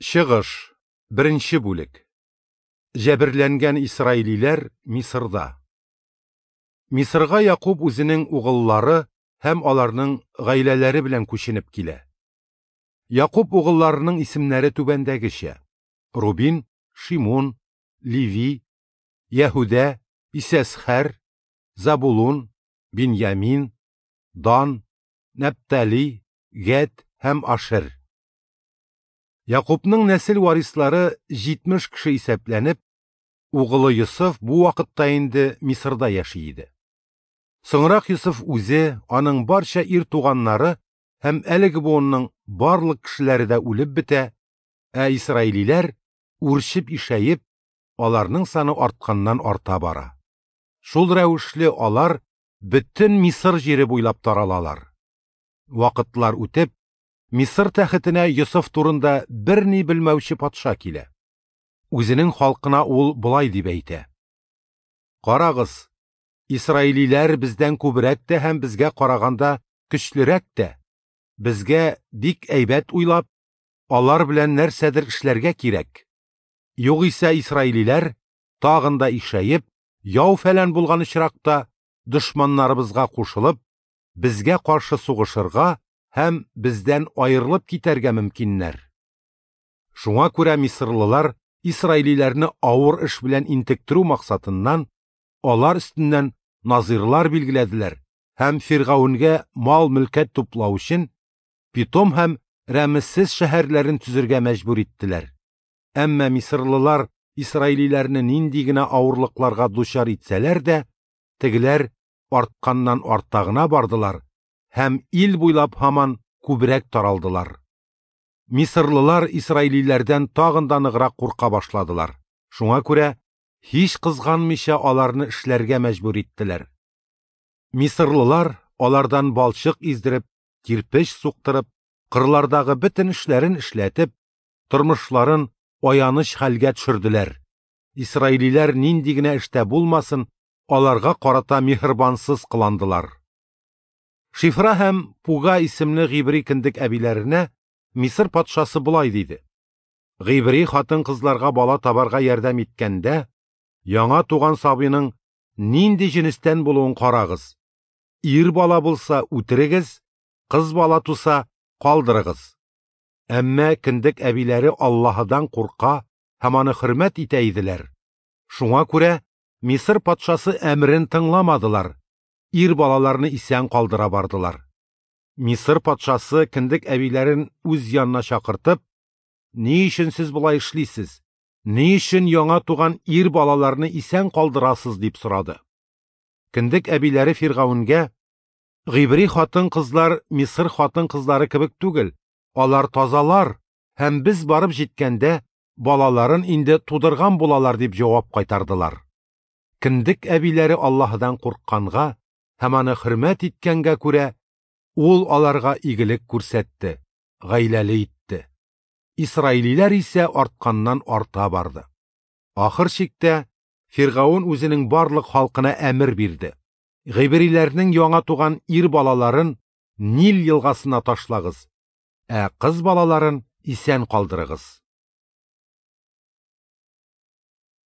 Чыгыш, беренче бүлек. Җәберләнгән исраилиләр Мисырда. Мисырга Якуб үзенең угыллары һәм аларның гаиләләре белән күченеп килә. Якуб угылларының исемнәре түбәндәгечә: Рубин, Шимун, Леви, Яһүдә, Исәсхәр, Забулун, Биньямин, Дан, Нәптали, Гәд һәм Ашер. Якубның нәсел варислары 70 кеше исәпләнеп, угылы Йосыф бу вакытта инде Мисырда яши иде. Соңрак Йосыф үзе, аның барча ир туганнары һәм әлеге буынның барлык кешеләре дә үлеп бетә, ә исраилиләр үрчеп ишәеп, аларның саны артканнан арта бара. Шул рәвешле алар бөтен Мисыр җире буйлап таралалар. Вакытлар үтеп, Мисыр тәхетенә Йосыф турында берни белмәүче патша килә. Үзенең халкына ул болай дип әйтә: Карагыз, исраилиләр бездән күбрәк тә һәм безгә караганда көчлерәк тә. Безгә бик әйбәт уйлап, алар белән нәрсәдер эшләргә кирәк. Югыйсә исраилиләр тагын да ишәеп, яу фәлән булган очракта дошманнарыбызга кушылып, безгә каршы сугышырга һәм бездән аерылып китәргә мөмкиннәр. Шуңа күрә мисырлылар исраилиләрне авыр эш белән интектерү максатыннан алар өстеннән назирлар билгеләделәр һәм Фиргавенгә мал-мөлкәт туплау өчен Питом һәм Рәмессез шәһәрләрен төзергә мәҗбүр иттеләр. Әмма мисырлылар исраилиләрне нинди генә авырлыкларга дучар итсәләр дә, тегеләр артканнан арта гына бардылар һәм ил буйлап һаман күбрәк таралдылар. Мисырлылар исраилиләрдән тагын да ныграк курка башладылар. Шуңа күрә һич кызганмыйча аларны эшләргә мәҗбүр иттеләр. Мисырлылар алардан балчык издереп, кирпеч суктырып, кырлардагы бөтен эшләрен эшләтеп, тормышларын аяныч хәлгә төшерделәр. Исраилиләр нинди генә эштә булмасын, аларга карата миһербансыз кыландылар. Шифра һәм Пуга исемле гыйбри кендек әбиләренә Мисыр патшасы болай диде: Гыйбри хатын-кызларга бала табарга ярдәм иткәндә, яңа туган сабыйның нинди җенестән булуын карагыз. Ир бала булса үтерегез, кыз бала туса калдырыгыз. Әмма кендек әбиләре Аллаһыдан курка һәм аны хөрмәт итә иделәр. Шуңа күрә Мисыр патшасы әмерен тыңламадылар. Ир балаларны исән калдыра бардылар. Мисыр патшасы кендек әбиләрен үз янына чакыртып, "Ни өчен сез болай эшлисез? Ни өчен яңа туган ир балаларны исән калдырасыз?" дип сорады. Кендек әбиләре Фиргавенгә: "Гыйбри хатын-кызлар Мисыр хатын-кызлары кебек түгел, алар тазалар һәм без барып җиткәндә балаларын инде тудырган булалар" дип җавап кайтардылар. Кендек әбиләре Аллаһыдан куркканга һәм аны хөрмәт иткәнгә күрә, ул аларга игелек күрсәтте, гаиләле итте. Исраилиләр исә артканнан арта барды. Ахыр чиктә Фиргавен үзенең барлык халкына әмер бирде: Гыйбриләрнең яңа туган ир балаларын Нил елгасына ташлагыз, ә кыз балаларын исән калдырыгыз.